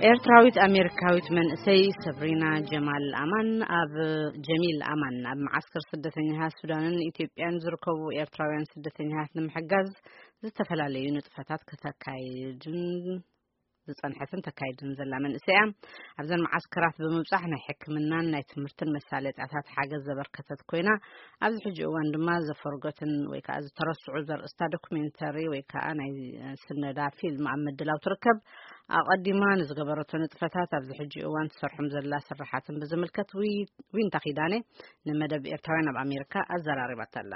ኤርትራዊት ኣሜሪካዊት መንእሰይ ሰብሪና ጀማል ኣማን ኣብ ጀሚል ኣማን ኣብ መዓስከር ስደተኛታት ሱዳንን ኢትዮጵያን ዝርከቡ ኤርትራውያን ስደተኛታት ንምሕጋዝ ዝተፈላለዩ ንጥፈታት ከተካይድን ዝጸንሐትን ተካይድን ዘላ መንእሰይ እያ። ኣብዘን መዓስከራት ብምብጻሕ ናይ ሕክምናን ናይ ትምህርትን መሳለጥያታት ሓገዝ ዘበርከተት ኮይና፣ ኣብዚ ሕጂ እዋን ድማ ዘፈርገትን ወይ ከዓ ዝተረስዑ ዘርእስታ ዶኩሜንተሪ ወይ ከዓ ናይ ስነዳ ፊልም ኣብ ምድላው ትርከብ። ኣቐዲማ ንዝገበረቶ ንጥፈታት ኣብዚ ሕጂ እዋን ትሰርሖም ዘላ ስራሓትን ብዝምልከት ዊ-፣ ዊንታ ኪዳነ ንመደብ ኤርትራውያን ኣብ ኣሜሪካ ኣዘራሪባታ ኣላ።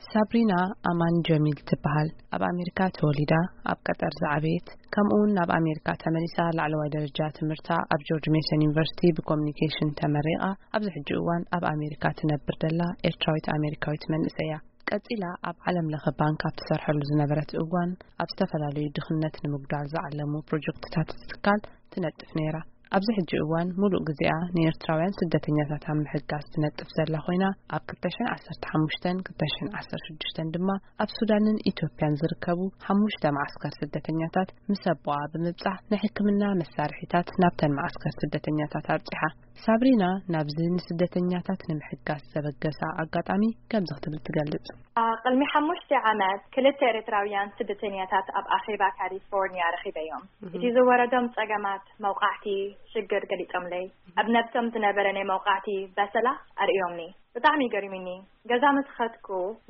ሳብሪና ኣማን ጀሚል ትበሃል። ኣብ ኣሜሪካ ተወሊዳ፣ ኣብ ቀጠር ዝዓበየት፣ ከምኡ እውን ናብ ኣሜሪካ ተመሊሳ ላዕለዋይ ደረጃ ትምህርታ ኣብ ጆርጅ ሜሰን ዩኒቨርሲቲ ብኮሚኒኬሽን ተመሪቓ፣ ኣብዚ ሕጂ እዋን ኣብ ኣሜሪካ ትነብር ዘላ ኤርትራዊት ኣሜሪካዊት መንእሰይ እያ። ቀጺላ ኣብ ዓለም ለኸ ባንክ ኣብ ትሰርሐሉ ዝነበረት እዋን፣ ኣብ ዝተፈላለዩ ድኽነት ንምጉዳል ዝዓለሙ ፕሮጀክትታት እቲ ትካል ትነጥፍ ነይራ። ኣብዚ ሕጂ እዋን፣ ሙሉእ ግዜኣ ንኤርትራውያን ስደተኛታት ኣብ ምሕጋዝ ትነጥፍ ዘላ ኮይና፣ ኣብ ክልተ ሽሕን ዓሰርተ ሓሙሽተን ክልተ ሽሕን ዓሰርተ ሽዱሽተን ድማ ኣብ ሱዳንን ኢትዮጵያን ዝርከቡ ሓሙሽተ መዓስከር ስደተኛታት ምስ ኣቦኣ ብምብጻሕ፣ ናይ ሕክምና መሳርሒታት ናብተን መዓስከር ስደተኛታት ኣብጺሓ። ሳብሪና ናብዚ ንስደተኛታት ንምሕጋዝ ዘበገሳ ኣጋጣሚ ከምዚ ክትብል ትገልጽ። አ፣ ቅድሚ ሓሙሽተ ዓመት ክልተ ኤርትራውያን ስደተኛታት ኣብ ኣኼባ ካሊፎርኒያ ረኺበዮም። እቲ ዝወረዶም ጸገማት መውቃዕቲ ሽግር ገሊጾምለይ። ኣብ ነብሶም ዝነበረ ናይ መውቃዕቲ በሰላ ኣርእዮምኒ። ብጣዕሚ ገሪሙኒ። ገዛ ምስ ኸድኩ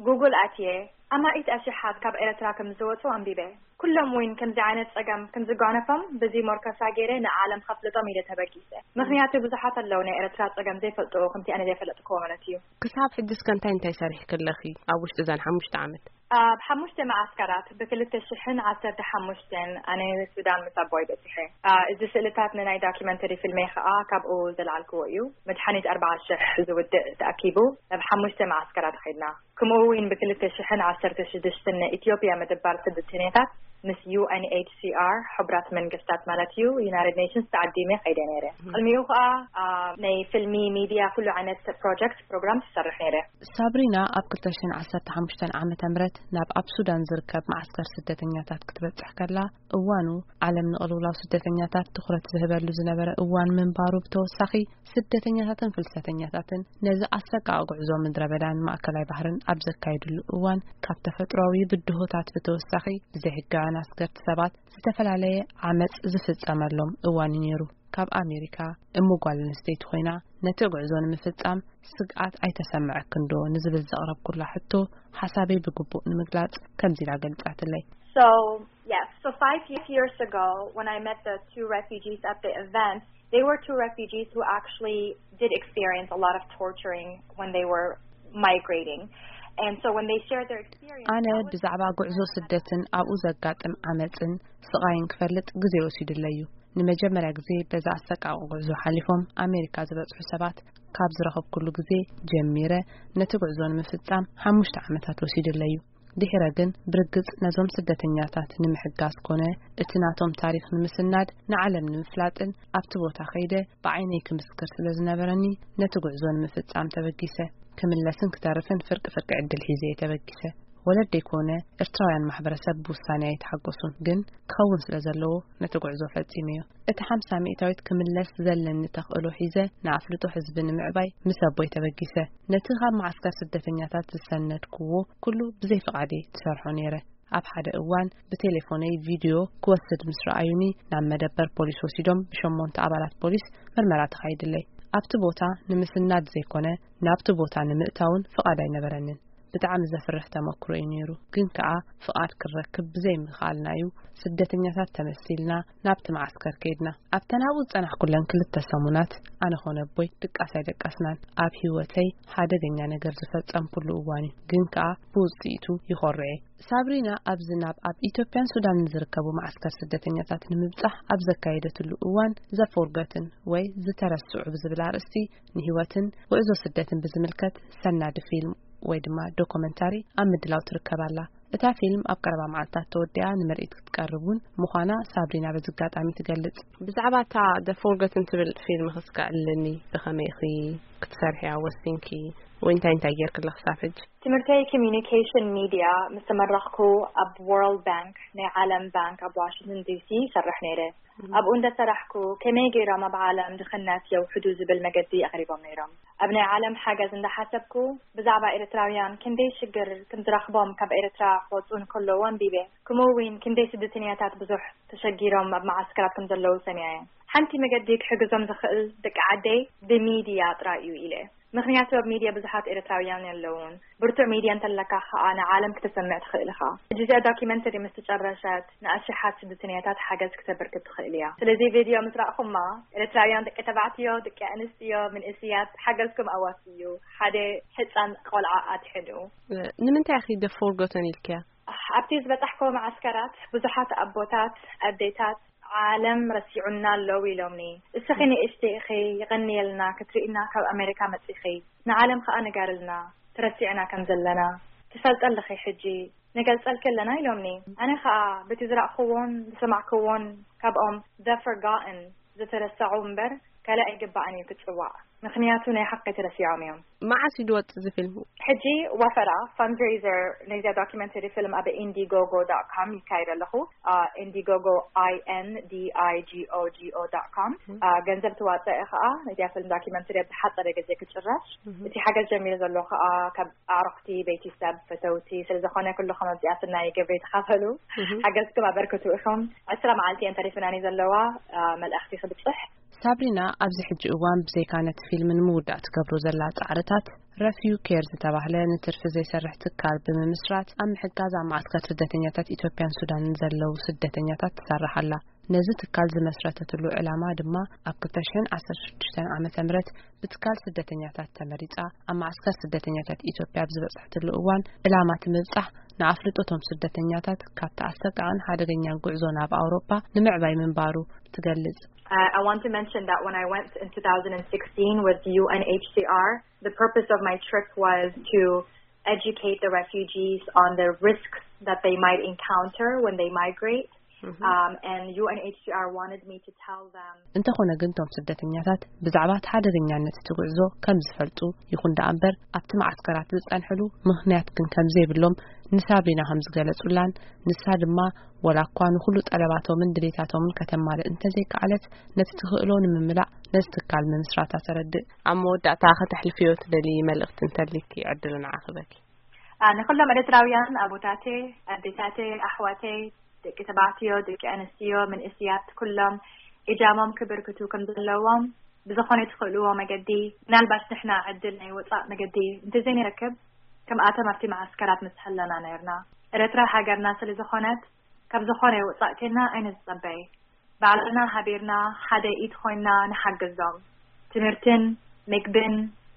ጉግል ኣትየ ኣማኢት ኣሽሓት ካብ ኤርትራ ከም ዝወጹ ኣንቢበ። ኩሎም እውን ከምዚ ዓይነት ጸገም ከም ዝጓነፎም በዚ ሞርከሳ ገይረ ንዓለም ከፍልጦም ኢለ ተበጊሰ። ምኽንያቱ ብዙሓት ኣለዉ ናይ ኤርትራ ጸገም ዘይፈልጡ ከምቲ ኣነ ዘይፈለጥክዎ ማለት እዩ። ክሳብ ሕጂ እስከ እንታይ እንታይ ሰሪሕኪ ኣለኺ ኣብ ውሽጢ እዘን ሓሙሽተ ዓመት? ኣብ ሓሙሽተ መዓስከራት ብክልተ ሽሕን ዓሰርተ ሓሙሽተን ኣነ ሱዳን ምስ ኣቦይ በጺሐ። አ፣ እዚ ስእልታት ንናይ ዳኪመንተሪ ፊልመይ ኸኣ ካብኡ ዘልዓልክዎ እዩ። መድሓኒት ኣርባዓ ሽሕ ዝውድእ ተኣኪቡ ናብ ሓሙሽተ መዓስከራት ኸይድና። ከምኡ እውን ብክልተ ሽሕን ዓሰርተ ሽዱሽተን ንኢትዮጵያ ምድባር ስደተኛታት ምስ ዩ ኤን ኤች ሲ ኣር፣ ሕቡራት መንግስታት ማለት እዩ፣ ዩናይትድ ኔሽንስ ተዓዲመ ኸይደ ነይረ። ቅድሚኡ ኸኣ፣ አ፣ ናይ ፊልሚ፣ ሚድያ፣ ኩሉ ዓይነት ፕሮጀክት ፕሮግራም ትሰርሕ ነይረ። ሳብሪና ኣብ ክልተ ሽሕን ዓሰርተ ሓሙሽተን ዓመተ ምህረት ናብ ኣብ ሱዳን ዝርከብ መዓስከር ስደተኛታት ክትበጽሕ ከላ፣ እዋኑ ዓለም ንቕልውላው ስደተኛታት ትኹረት ዝህበሉ ዝነበረ እዋን ምንባሩ ብተወሳኺ፣ ስደተኛታትን ፍልሰተኛታትን ነዚ ኣሰቃቒ ጉዕዞ ምድረ በዳን ማእከላይ ባህርን ኣብ ዘካይድሉ እዋን፣ ካብ ተፈጥሮኣዊ ብድሆታት ብተወሳኺ፣ ብዘይሕጋውያን ኣስገርቲ ሰባት ዝተፈላለየ ዓመጽ ዝፍጸመሎም እዋን እዩ ነይሩ። ካብ ኣሜሪካ፣ እሞ ጓል ኣንስተይቲ ኮይና፣ ነቲ ጉዕዞ ንምፍጻም ስግኣት ኣይተሰምዐክን ዶ ንዝብል ዘቕረብኩላ ሕቶ፣ ሓሳበይ ብግቡእ ንምግላጽ ከምዚ ኢላ ገልጻትለይ። So, yes, so five years ago, when I met the two refugees at the event, they were two refugees who actually did experience a lot of torturing when they were migrating. And so when they shared their experience, ኣነ that was ብዛዕባ ጉዕዞ ስደትን ኣብኡ ዘጋጥም ዓመጽን ስቓይን ክፈልጥ ግዜ ወሲዱለይ እዩ። ንመጀመርያ ግዜ በዛ ኣሰቃቒ ጉዕዞ ሓሊፎም ኣሜሪካ ዝበጽሑ ሰባት ካብ ዝረኸብኩሉ ግዜ ጀሚረ፣ ነቲ ጉዕዞ ንምፍጻም ሓሙሽተ ዓመታት ወሲዱለይ እዩ። ድሒረ ግን፣ ብርግጽ ነዞም ስደተኛታት ንምሕጋዝ ኮነ እቲ ናቶም ታሪኽ ንምስናድ፣ ንዓለም ንምፍላጥን ኣብቲ ቦታ ከይደ ብዓይነይ ክምስክር ስለ ዝነበረኒ፣ ነቲ ጉዕዞ ንምፍጻም ተበጊሰ። ክምለስን ክተርፍን ፍርቂ ፍርቂ ዕድል ሒዘ እየ ተበጊሰ። ወለደይ ኮነ ኤርትራውያን ማሕበረሰብ ብውሳኔ ኣይተሓጎሱን፣ ግን ክኸውን ስለ ዘለዎ ነቲ ጉዕዞ ፈጺመዮ። እቲ ሓምሳ ሚእታዊት ክምለስ ዘለኒ ተኽእሎ ሒዘ ንኣፍልጦ ህዝቢ ንምዕባይ ምስ ኣቦይ ተበጊሰ። ነቲ ካብ መዓስከር ስደተኛታት ዝሰነድክዎ ኩሉ ብዘይ ፍቓደይ ትሰርሖ ነይረ። ኣብ ሓደ እዋን ብቴሌፎነይ ቪድዮ ክወስድ ምስ ረኣዩኒ፣ ናብ መደበር ፖሊስ ወሲዶም ብሸሞንተ ኣባላት ፖሊስ ምርመራ ተኻይድለይ። ኣብቲ ቦታ ንምስናድ ዘይኮነ፣ ናብቲ ቦታ ንምእታውን ፍቓድ ኣይነበረንን። ብጣዕሚ ዘፍርሕ ተመክሮ እዩ ነይሩ። ግን ከኣ ፍቓድ ክረክብ ብዘይ ምኽኣልና እዩ ስደተኛታት ተመሲልና ናብቲ መዓስከር ከይድና። ኣብተን ኣብኡ ዝጸናሕኩለን ክልተ ሰሙናት ኣነ ኾነ ኣቦይ ድቃስ ኣይደቀስናን። ኣብ ህይወተይ ሓደገኛ ነገር ዝፈጸምኩሉ እዋን እዩ። ግን ከኣ ብውጽኢቱ ይኾርዕ እየ። ሳብሪና ኣብዚ ናብ ኣብ ኢትዮጵያን ሱዳንን ዝርከቡ መዓስከር ስደተኛታት ንምብጻሕ ኣብ ዘካየደትሉ እዋን ዘፎርገትን ወይ ዝተረስዑ ብዝብል ኣርእስቲ ንህይወትን ጉዕዞ ስደትን ብዝምልከት ሰናዲ ፊልም ወይ ድማ ዶኩመንታሪ ኣብ ምድላው ትርከብ ኣላ። እታ ፊልም ኣብ ቀረባ መዓልታት ተወዲኣ ንምርኢት ክትቀርብ እውን ምዃና ሳብሪና በዚ ኣጋጣሚ ትገልጽ። ብዛዕባ እታ The Forgotten ትብል ፊልም ክስከዕልኒ ብኸመይ ኢኺ ክትሰርሕያ ወሲንኪ? ወይ እንታይ እንታይ ጌርክላ ክሳብ ሕጂ? ትምህርተይ ኮሚኒኬሽን ሚድያ ምስ ተመረቕኩ፣ ኣብ ወርልድ ባንክ፣ ናይ ዓለም ባንክ ኣብ ዋሽንግተን ዲሲ ይሰርሕ ነይረ። ኣብኡ እንደሰራሕኩ፣ ከመይ ገይሮም ኣብ ዓለም ድኽነት የውሕዱ ዝብል መገዲ ኣቕሪቦም ነይሮም። ኣብ ናይ ዓለም ሓገዝ እንዳሓሰብኩ፣ ብዛዕባ ኤርትራውያን ክንደይ ሽግር ከም ዝረኽቦም፣ ካብ ኤርትራ ክወፁ እንከለዉ ኣንቢበ። ከምኡ እውን ክንደይ ስደተኛታት ብዙሕ ተሸጊሮም ኣብ መዓስከራት ከም ዘለዉ ሰሚዐ። ሓንቲ መገዲ ክሕግዞም ዝኽእል ደቂ ዓደይ ብሚድያ ጥራይ እዩ ኢለ። ምኽንያቱ ኣብ ሚድያ ብዙሓት ኤርትራውያን የለውን። ብርቱዕ ሚድያ እንተለካ ከኣ ንዓለም ክተሰምዕ ትኽእል ኢኻ። ሕጂ እዚኣ ዶኪመንተሪ ምስ ተጨረሸት ንኣሽሓት ስደተኛታት ሓገዝ ክተበርክት ትኽእል እያ። ስለዚ ቪድዮ ምስ ረኣኹማ፣ ኤርትራውያን ደቂ ተባዕትዮ፣ ደቂ ኣንስትዮ፣ መንእስያት ሓገዝኩም ኣዋስዩ። ሓደ ህጻን ቆልዓ ኣትሕዱ። ንምንታይ ኢኺ The Forgotten ኢልክያ? ኣብቲ ዝበጻሕኮ መዓስከራት ብዙሓት ኣቦታት፣ ኣዴታት፣ "ዓለም ረሲዑና ኣለዉ" ኢሎምኒ። "እስኺ ንእሽቲ ኢኺ፣ የቐንየልና ክትርእይና ካብ ኣሜሪካ መጺኺ። ንዓለም ከኣ ንገርልና፣ ተረሲዕና ከም ዘለና። ትፈልጢ ኣለኺ ሕጂ፣ ንገልጸልኪ ኣለና" ኢሎምኒ። ኣነ ከኣ በቲ ዝረእኽዎን ዝሰማዕክዎን ካብኦም The Forgotten፣ ዝተረሰዑ እምበር፣ ካልእ ኣይግባእን እዩ ክጽዋዕ። ምኽንያቱ ናይ ሓቂ ተረሲዖም እዮም። መዓስ እዩ ዝወጽእ እዚ ፊልም? ሕጂ ወፈራ፣ ፈንድሬዘር፣ ናይዚኣ ዶኪመንተሪ ፊልም ኣብ ኢንዲጎጎ ዶት ኮም ይካየድ ኣለኹ። አ፣ ኢንዲጎጎ፣ I N D I G O G O dot com። ም። አ፣ ገንዘብ ትዋጽእ ከኣ፣ ናይዚኣ ፊልም ዶኪመንተሪ ኣብ ዝሓጸረ ግዜ ክጭረሽ። ም። እቲ ሓገዝ ጀሚሩ ዘሎ ከኣ፣ ካብ ኣዕሩኽቲ፣ ቤተሰብ፣ ፈተውቲ፣ ስለ ዝኾነ ኩልኹም ኣብዚኣ ስናይ ግብሪ ተኻፈሉ። ም። ሓገዝኩም ኣበርክቱ ኢኹም። ዕስራ መዓልቲ እየን ተሪፍናኒ ዘለዋ፣ አ፣ መልእኽቲ ክብጽሕ። ሳብሪና ኣብዚ ሕጂ እዋን ብዘይካ ነቲ ፊልም ንምውዳእ ትገብሮ ዘላ ጻዕርታት፣ ረፊው ኬር ዝተባህለ ንትርፊ ዘይሰርሕ ትካል ብምምስራት ኣብ ምሕጋዝ ኣብ ማዕስከር ስደተኛታት ኢትዮጵያን ሱዳንን ዘለዉ ስደተኛታት ትሰርሕ ኣላ። ነዚ ትካል ዝመስረተትሉ ዕላማ ድማ ኣብ ክልተ ሽሕን ዓሰርተ ሽዱሽተን ዓመተ ምህረት ብትካል ስደተኛታት ተመሪጻ ኣብ ማዕስከር ስደተኛታት ኢትዮጵያ ኣብ ዝበጽሐትሉ እዋን ዕላማ እቲ ምብጻሕ ንኣፍልጦቶም ስደተኛታት ካብቲ ኣሰቃቕን ሓደገኛን ጉዕዞ ናብ ኣውሮፓ ንምዕባይ ምንባሩ ትገልጽ። Uh, I want to mention that when I went in two thousand sixteen with U N H C R, the purpose of my trip was to educate the refugees on the risks that they might encounter when they migrate. Mhm. Um, and U N H C R wanted me to tell them. እንተኾነ ግን፣ እቶም ስደተኛታት ብዛዕባ እቲ ሓደገኛነት እቲ ጉዕዞ ከም ዝፈልጡ ይኹን ደኣ እምበር፣ ኣብቲ መዓስከራት ዝጸንሕሉ ምኽንያት ግን ከም ዘይብሎም ንሳብሪና ከም ዝገለጹላን፣ ንሳ ድማ ወላ እኳ ንኹሉ ጠለባቶምን ድሌታቶምን ከተማልእ እንተዘይከኣለት፣ ነቲ ትኽእሎ ንምምላእ ነዚ ትካል ምምስራታ ተረድእ። ኣብ መወዳእታ ከተሕልፍዮ ትደልዪ መልእኽቲ እንተሊኪ፣ ዕድል ንዓኺ በኪ። አ፣ ንኹሎም ኤርትራውያን ኣቦታተይ፣ ኣዴታተይ፣ ኣሕዋተይ፣ ደቂ ተባዕትዮ፣ ደቂ ኣንስትዮ፣ መንእስያት፣ ኩሎም እጃሞም ክብርክቱ ከም ዘለዎም ብዝኾነ ትኽእልዎ መገዲ፣ ምናልባት ንሕና ዕድል ናይ ወጻእ መገዲ እንተዘይንረክብ፣ ከምኣቶም ኣብቲ መዓስከራት ምስ ሃለና ነርና። ኤርትራ ሃገርና ስለ ዝኾነት፣ ካብ ዝኾነ ወጻእ ኬና ኣይንጸበይ። ባዕልና ሃቢርና ሓደ ኢድ ኮይና ንሓግዞም። ትምህርትን ምግብን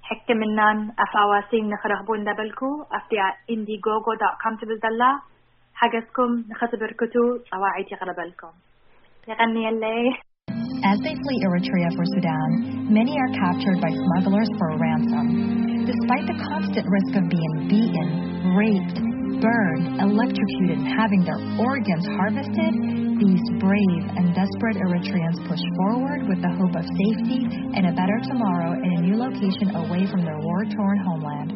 ሕክምናን ኣፋዋሲን ንኽረኽቡ እንዳበልኩ፣ ኣብቲ ኢንዲጎጎ ዶት ኮም ትብል ዘላ ሓገዝኩም ንኸትብርክቱ ጸዋዒት የቕርበልኩም። የቐንየለይ። As they flee Eritrea for Sudan, many are captured by smugglers for ransom. Despite the constant risk of being beaten, raped, burned, electrocuted, and having their organs harvested, these brave and desperate Eritreans push forward with the hope of safety and a better tomorrow in a new location away from their war-torn homeland.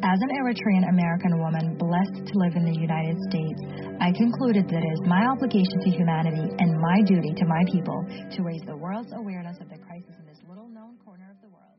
As an Eritrean American woman blessed to live in the United States, I concluded that it is my obligation to humanity and my duty to my people to raise the world's awareness of the crisis in this little known corner of the world.